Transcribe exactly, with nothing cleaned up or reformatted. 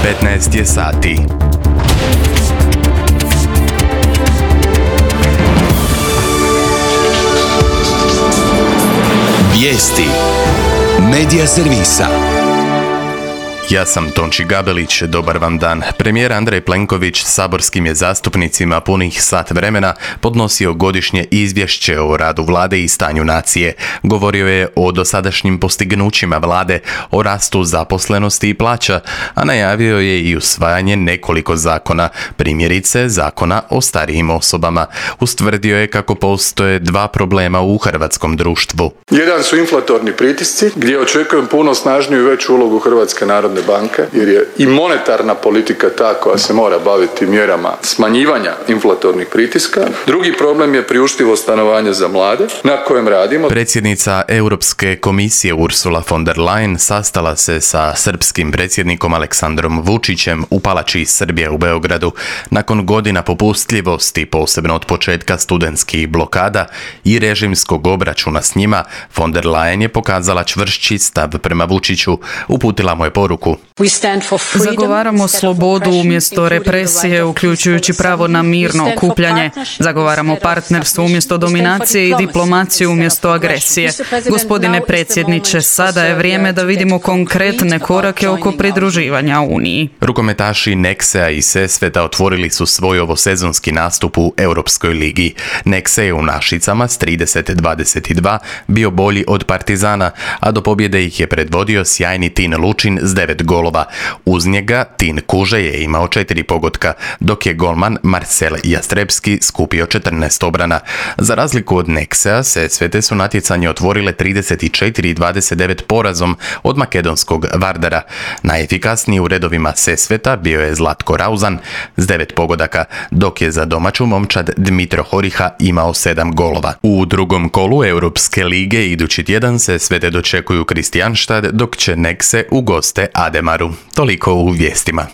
petnaest je sati. Vijesti Medija servisa. Ja sam Tonči Gabelić, dobar vam dan. Premijer Andrej Plenković saborskim je zastupnicima punih sat vremena podnosio godišnje izvješće o radu vlade i stanju nacije. Govorio je o dosadašnjim postignućima vlade, o rastu zaposlenosti i plaća, a najavio je i usvajanje nekoliko zakona, primjerice zakona o starijim osobama. Ustvrdio je kako postoje dva problema u hrvatskom društvu. Jedan su inflatorni pritisci, gdje očekujem puno snažniju i veću ulogu Hrvatske narodne banke, jer je i monetarna politika ta koja se mora baviti mjerama smanjivanja inflatornih pritiska. Drugi problem je priuštivo stanovanje za mlade, na kojem radimo. Predsjednica Europske komisije Ursula von der Leyen sastala se sa srpskim predsjednikom Aleksandrom Vučićem u Palači Srbije u Beogradu. Nakon godina popustljivosti, posebno od početka studentskih blokada i režimskog obračuna s njima, von der Leyen je pokazala čvršći stav prema Vučiću. Uputila mu je poruku: Zagovaramo slobodu umjesto represije, uključujući pravo na mirno okupljanje. Zagovaramo partnerstvo umjesto dominacije i diplomaciju umjesto agresije. Gospodine predsjedniče, sada je vrijeme da vidimo konkretne korake oko pridruživanja Uniji. Rukometaši Nexe-a i Sesveta otvorili su svoj ovosezonski nastup u Europskoj ligi. Nexe je u Našicama s trideset dvadeset dva bio bolji od Partizana, a do pobjede ih je predvodio sjajni Tin Lučin s devet golova. Uz njega Tin Kuže je imao četiri pogotka, dok je golman Marcel Jastrebski skupio četrnaest obrana. Za razliku od Nexe-a, Sesvete su natjecanje otvorile trideset četiri dvadeset devet porazom od makedonskog Vardara. Najefikasniji u redovima Sesveta bio je Zlatko Rauzan s devet pogodaka, dok je za domaću momčad Dmitro Horiha imao sedam golova. U drugom kolu Europske lige idući tjedan Sesvete dočekuju Kristijanštad, dok će Nexe u goste Ademaru. Toliko u vijestima.